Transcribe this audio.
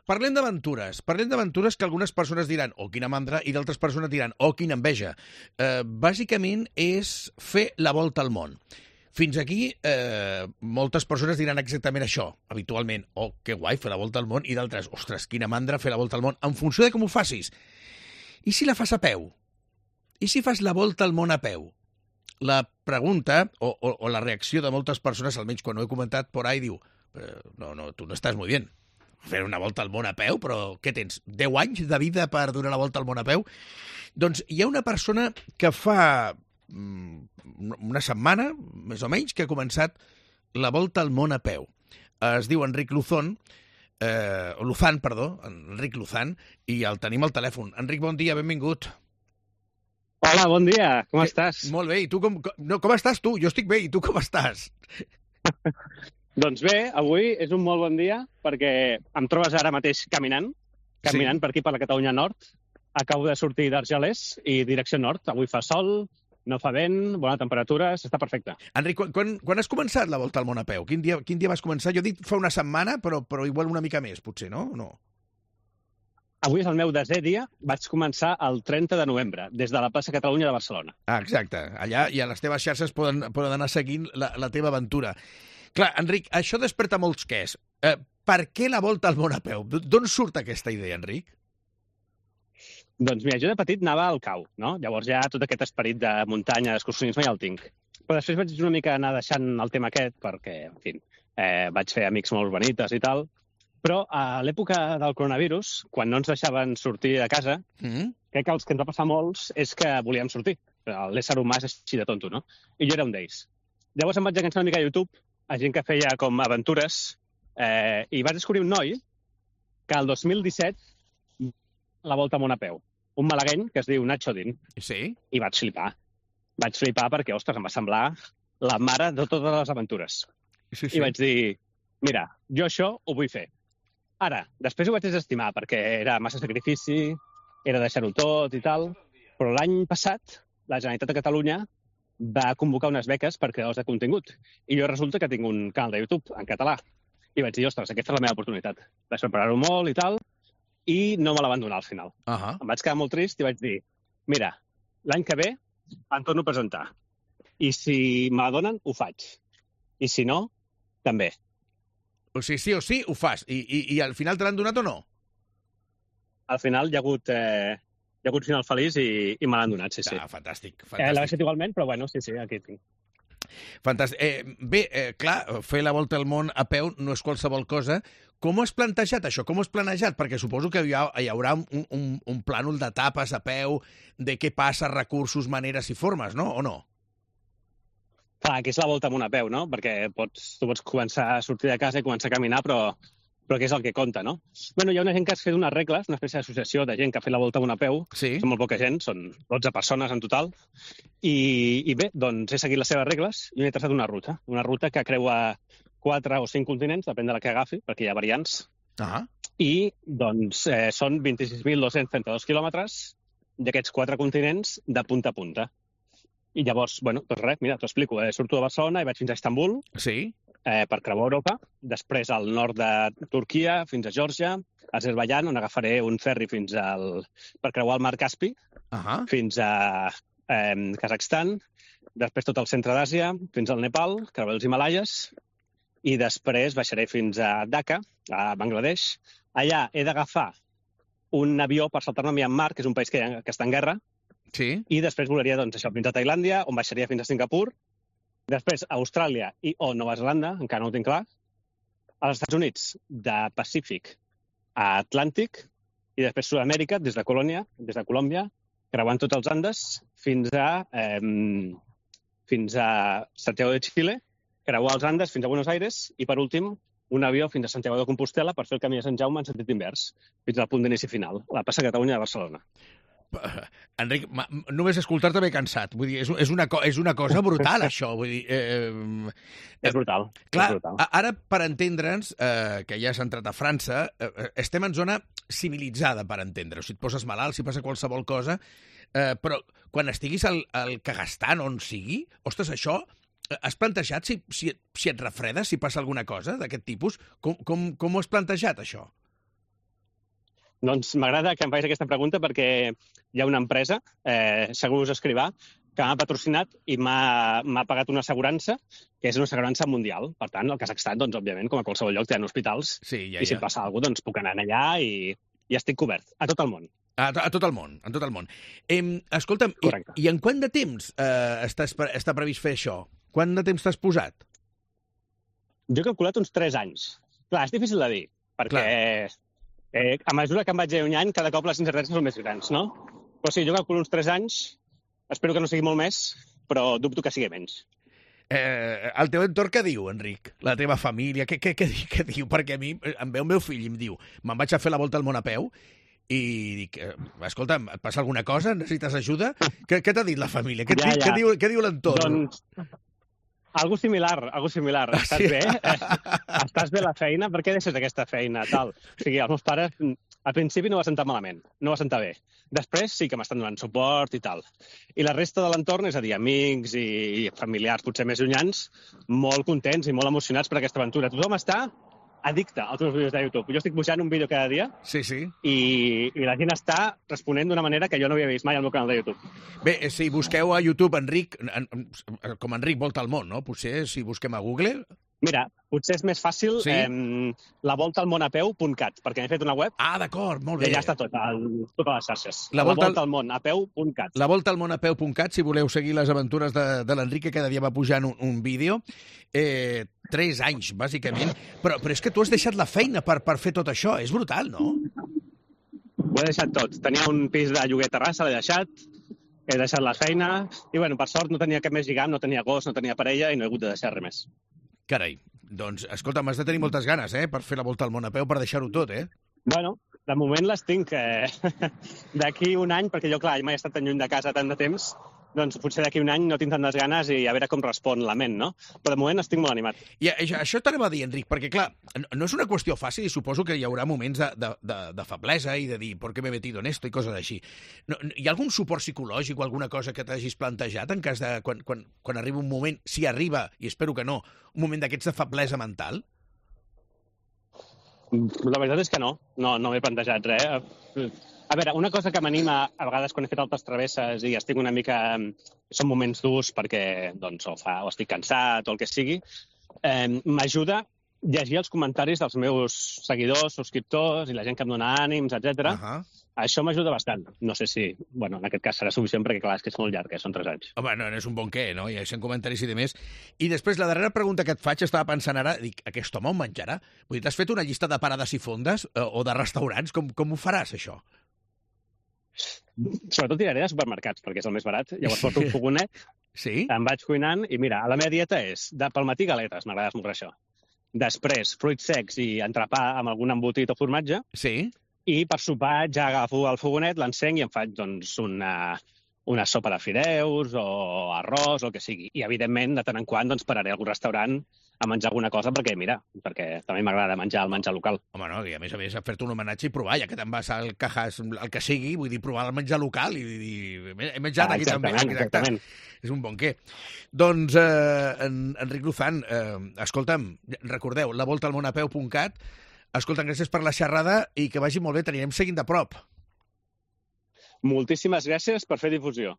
parlem d'aventures que algunes persones diran, oh, quina mandra, i d'altres persones diran, oh, quina enveja. Bàsicament és fer la volta al món. Fins aquí, moltes persones diran exactament això, habitualment. Oh, que guai, fer la volta al món, i d'altres, ostres, quina mandra fer la volta al món, en funció de com ho facis. I si la fas a peu? I si fas la volta al món a peu? La pregunta, o la reacció de moltes persones, almenys quan ho he comentat por ahí, diu, no, tu no estàs muy bien. Fer una volta al món a peu, però què tens, 10 anys de vida per donar la volta al món a peu? Doncs hi ha una persona que fa una setmana, més o menys, que ha començat la volta al món a peu. Es diu Enric Luzán, Enric Luzán, i el tenim al telèfon. Enric, bon dia, benvingut. Hola, bon dia, com estàs? Molt bé, i tu com estàs tu? Jo estic bé, i tu com estàs? Doncs bé, avui és un molt bon dia perquè em trobes ara mateix caminant per aquí, per la Catalunya Nord. Acabo de sortir d'Argelers i direcció nord. Avui fa sol, no fa vent, bona temperatura, està perfecte. Enric, quan has començat la volta al món a peu? Quin dia vas començar? Jo he dit fa una setmana, però igual una mica més, potser, no? Avui és el meu desè dia, vaig començar el 30 de novembre, des de la plaça Catalunya de Barcelona. Ah, exacte. Allà i a les teves xarxes poden anar seguint la teva aventura. Clar, Enric, això desperta molts quès. Per què la volta al món a peu? D'on surt aquesta idea, Enric? Doncs mira, jo de petit anava al cau, no? Llavors ja tot aquest esperit de muntanya, d'excursionisme ja el tinc. Però després vaig una mica anar deixant el tema aquest perquè, en fi, vaig fer amics molt bonites i tal. Però a l'època del coronavirus, quan no ens deixaven sortir de casa, crec que els que ens va passar molts és que volíem sortir. L'ésser humà és així de tonto, no? I jo era un d'ells. Llavors em vaig enganxar una mica a YouTube, a gent que feia com aventures, i vaig descobrir un noi que el 2017 la volta al món a peu. Un malagueny que es diu Nacho Din. Sí? I vaig flipar. Vaig flipar perquè, ostres, em va semblar la mare de totes les aventures. Sí. I vaig dir, mira, jo això ho vull fer. Ara, després ho vaig desestimar perquè era massa sacrifici, era deixar-ho tot i tal, però l'any passat la Generalitat de Catalunya va convocar unes beques per creadors de contingut. I jo resulta que tinc un canal de YouTube en català. I vaig dir, ostres, aquesta és la meva oportunitat. Vaig preparar-ho molt i tal, i no me la van donar al final. Em vaig quedar molt trist i vaig dir, mira, l'any que ve em torno a presentar. I si me la donen, ho faig. I si no, també. O sigui, sí o sí, ho fas. I al final te l'han donat o no? Al final hi ha hagut final feliç i me l'han donat, sí. Ah, fantàstic. L'he fet igualment, però bueno, sí, aquí tinc. Fantàstic. Bé, clar, fer la volta al món a peu no és qualsevol cosa. Com ho has plantejat, això? Com ho has planejat? Perquè suposo que hi haurà un plànol d'etapes a peu, de què passa, recursos, maneres i formes, no? O no? Clar, aquí és la volta amb una peu, no? Perquè tu pots començar a sortir de casa i començar a caminar, però què és el que compta, no? Bueno, hi ha una gent que ha fet unes regles, una espècie d'associació de gent que ha fet la volta amb una peu. Sí. Són molt poca gent, són 12 persones en total. I bé, doncs he seguit les seves regles i m'he traçat una ruta que creua 4 o 5 continents, depèn de la que agafi, perquè hi ha variants. I, doncs, són 26.232 quilòmetres d'aquests 4 continents de punta a punta. I llavors, bueno, doncs res, mira, t'ho explico. Surto de Barcelona i vaig fins a Istanbul, per creuar Europa, després al nord de Turquia, fins a Geòrgia, a Azerbaidjan, on agafaré un ferri per creuar el mar Caspi, fins a Kazakhstan, després tot el centre d'Àsia, fins al Nepal, creuar els Himalaies, i després baixaré fins a Dhaka, a Bangladesh. Allà he d'agafar un avió per saltar-me a Myanmar, que és un país que està en guerra, i després volaria fins a Tailàndia, on baixaria fins a Singapur, després a Austràlia o Nova Zelanda, encara no ho tinc clar, als Estats Units, de Pacífic a Atlàntic, i després Sud-amèrica, des de Colòmbia, creuant tots els Andes, fins a Santiago de Chile, creuar els Andes fins a Buenos Aires, i per últim, un avió fins a Santiago de Compostela per fer el camí de Sant Jaume en sentit invers, fins al punt d'inici final, la plaça Catalunya de Barcelona. Enric, només escoltar-te m'he cansat. Vull dir, és una cosa brutal, això. Vull dir, és brutal. Clar, és brutal. Ara, per entendre'ns, que ja has entrat a França, estem en zona civilitzada, per entendre. O sigui, et poses malalt, si passa qualsevol cosa, però quan estiguis al Kazakhstan, on sigui, ostres, això, has plantejat si et refredes, si passa alguna cosa d'aquest tipus? Com ho has plantejat, això? Doncs m'agrada que em facis aquesta pregunta perquè hi ha una empresa, Segurs Escrivà, que m'ha patrocinat i m'ha pagat una assegurança, que és una assegurança mundial. Per tant, al Kazakhstan, doncs, òbviament, com a qualsevol lloc, tenen hospitals, sí, i si em passa alguna cosa, doncs puc anar allà i estic cobert, a tot el món. A tot el món, a tot el món. Escolta'm, i en quant de temps està previst fer això? Quant de temps t'has posat? Jo he calculat uns 3 anys. Clar, és difícil de dir, perquè a mesura que em vaig allunyant, cada cop les incerteses són més grans, no? Però sí, jo calculo uns 3 anys, espero que no sigui molt més, però dubto que sigui menys. El teu entorn què diu, Enric? La teva família, què diu? Perquè a mi em ve el meu fill i em diu, me'n vaig a fer la volta al món a peu, i dic, escolta, et passa alguna cosa? Necessites ajuda? Què t'ha dit la família? Què diu l'entorn? Doncs algo similar. Estàs bé? Estàs bé a la feina? Per què deixes aquesta feina? Tal. O sigui, els meus pares al principi no va sentar malament, no va sentar bé. Després sí que m'estan donant suport i tal. I la resta de l'entorn, és a dir, amics i familiars potser més llunyans, molt contents i molt emocionats per aquesta aventura. Tothom està addicte als meus vídeos de YouTube. Jo estic pujant un vídeo cada dia i la gent està responent d'una manera que jo no havia vist mai al meu canal de YouTube. Bé, si busqueu a YouTube Enric, com Enric Volta al Món, no? Potser si busquem a Google... Mira, potser és més fàcil lavoltaalmonapeu.cat, perquè m'he fet una web. Ah, d'acord, molt bé. I ja està tot, totes les xarxes. Lavoltaalmonapeu.cat. Lavoltaalmonapeu.cat, si voleu seguir les aventures de l'Enric, que cada dia va pujant un vídeo. 3 anys, bàsicament. Però és que tu has deixat la feina per fer tot això. És brutal, no? Ho he deixat tot. Tenia un pis de lloguer a Terrassa, l'he deixat. He deixat la feina. I, bueno, per sort no tenia cap més lligam, no tenia gos, no tenia parella i no he hagut de deixar res més. Carai, doncs, escolta, m'has de tenir moltes ganes, per fer la volta al món a peu, per deixar-ho tot, Bueno, de moment les tinc. D'aquí un any, perquè jo, clar, mai he estat tan lluny de casa tant de temps, doncs potser d'aquí un any no tinc tantes ganes i a veure com respon la ment, no? Però de moment estic molt animat. I això t'anava a dir, Enric, perquè, clar, no és una qüestió fàcil i suposo que hi haurà moments de feblesa i de dir ¿por qué me he metido en esto? I coses així. No, hi ha algun suport psicològic o alguna cosa que t'hagis plantejat en cas de quan arriba un moment, si arriba, i espero que no, un moment d'aquests de feblesa mental? La veritat és que no m'he plantejat res. A veure, una cosa que m'anima a vegades quan he fet altres travesses i estic una mica... Són moments durs perquè doncs, o estic cansat o el que sigui, m'ajuda llegir els comentaris dels meus seguidors, subscriptors i la gent que em dona ànims, etc. Això m'ajuda bastant. No sé si, bueno, en aquest cas serà suficient perquè, clar, és que és molt llarg, són 3 anys. Home, no és un bon què, no? Hi ha 100 comentaris i demés. I després, la darrera pregunta que et faig, estava pensant ara, dic, aquest home on menjarà? Vull dir, t'has fet una llista de parades i fondes o de restaurants? Com ho faràs, això? Sobretot tiraré de supermercats, perquè és el més barat. Llavors porto un fogonet, em vaig cuinant i mira, la meva dieta és, pel matí galetes, m'agrada esmorzar això. Després, fruits secs i entrepà amb algun embotit o formatge. Sí. I per sopar ja agafo el fogonet, l'encenc i em faig doncs, una sopa de fideus o arròs o el que sigui. I, evidentment, de tant en quant doncs, pararé a algun restaurant a menjar alguna cosa perquè també m'agrada menjar el menjar local. Home, no, i a més fer-te un homenatge i provar, ja que te'n vas al Cajas, el que sigui, vull dir, provar el menjar local i dir, he menjat aquí també. Exactament. És un bon què. Doncs, Enric Luzán, escolta'm, recordeu, lavoltaalmonapeu.cat. Escolta'm, gràcies per la xerrada i que vagi molt bé, t'anirem seguint de prop. Moltíssimes gràcies per fer difusió.